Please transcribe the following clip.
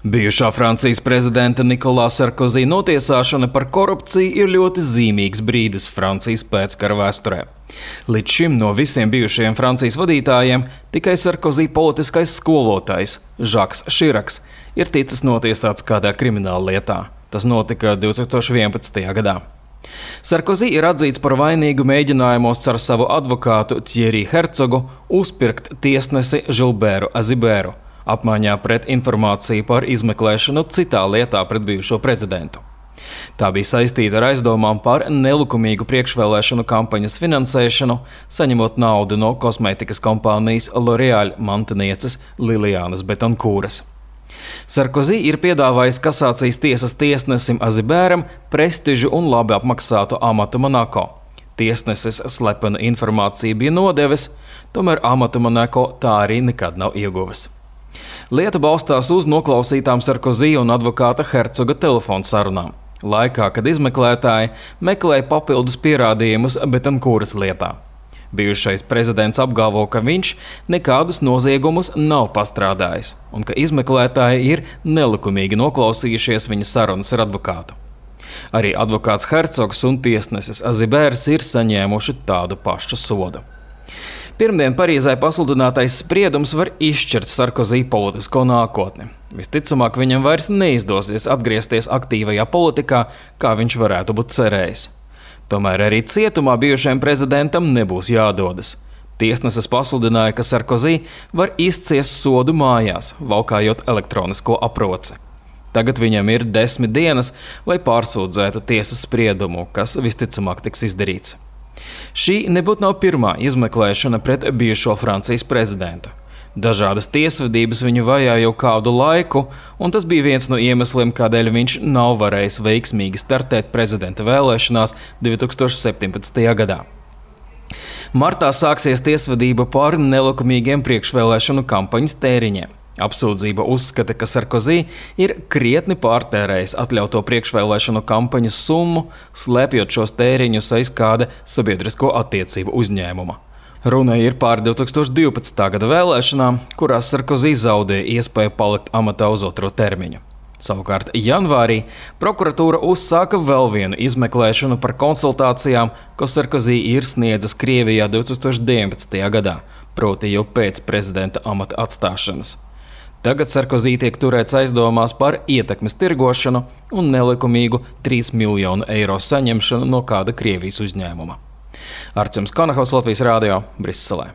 Bijušā Francijas prezidenta Nikolā Sarkozī notiesāšana par korupciju ir ļoti zīmīgs brīdis Francijas pēckara vēsturē. Līdz šim no visiem bijušajiem Francijas vadītājiem tikai Sarkozī politiskais skolotājs Žaks Širaks ir ticis notiesāts kādā krimināla lietā. Tas notika 2011. gadā. Sarkozī ir atzīts par vainīgu mēģinājumos ar savu advokātu Thierry Hercogu uzpirkt tiesnesi Žilbēru Azibēru, apmaiņā pret informāciju par izmeklēšanu citā lietā pret bijušo prezidentu. Tā bija saistīta ar aizdomām par nelikumīgu priekšvēlēšanu kampaņas finansēšanu, saņemot naudu no kosmētikas kompānijas L'Oréal mantinieces Lilianas Betankūras. Sarkozī ir piedāvājis kasācijas tiesas tiesnesim Azibēram prestižu un labi apmaksātu amatu Monako. Tiesnesis slepenu informāciju bija nodevis, tomēr amatu Monako tā arī nekad nav ieguvis. Lieta balstās uz noklausītām Sarkozī un advokāta Hercoga telefonu sarunām, laikā, kad izmeklētāji meklēja papildus pierādījumus Betankūras lietā. Bijušais prezidents apgalvo, ka viņš nekādus noziegumus nav pastrādājis un ka izmeklētāji ir nelikumīgi noklausījušies viņa sarunas ar advokātu. Arī advokāts Hercogs un tiesnesis Azibērs ir saņēmuši tādu pašu sodu. Pirmdien Parīzē pasludinātais spriedums var izšķirt Sarkozī politisko nākotni. Visticamāk, viņam vairs neizdosies atgriezties aktīvajā politikā, kā viņš varētu būt cerējis. Tomēr arī cietumā bijušajam prezidentam nebūs jādodas. Tiesneses pasludināja, ka Sarkozī var izciest sodu mājās, valkājot elektronisko aproci. Tagad viņam ir 10 dienas, lai pārsūdzētu tiesas spriedumu, kas visticamāk tiks izdarīts. Šī nebūtu nav pirmā izmeklēšana pret bijušo Francijas prezidentu. Dažādas tiesvedības viņu vajā jau kādu laiku, un tas bija viens no iemesliem, kādēļ viņš nav varējis veiksmīgi startēt prezidenta vēlēšanās 2017. gadā. Martā sāksies tiesvedība par nelikumīgiem priekšvēlēšanu kampaņas tēriņiem. Apsūdzība uzskata, ka Sarkozī ir krietni pārtērējis atļauto priekšvēlēšanu kampaņas summu, slēpjot šos tēriņus aiz kāda sabiedrisko attiecību uzņēmuma. Runa ir par 2012. gada vēlēšanām, kurās Sarkozī zaudēja iespēju palikt amatā uz otro termiņu. Savukārt janvārī prokuratūra uzsāka vēl vienu izmeklēšanu par konsultācijām, ko Sarkozī ir sniedzis Krievijā 2019. gadā, proti jau pēc prezidenta amata atstāšanas. Tagad Sarkozī tiek turēts aizdomās par ietekmes tirgošanu un nelikumīgu 3 miljonu eiro saņemšanu no kāda Krievijas uzņēmuma. Artjums Konahovs, Latvijas Rādio, Briselē.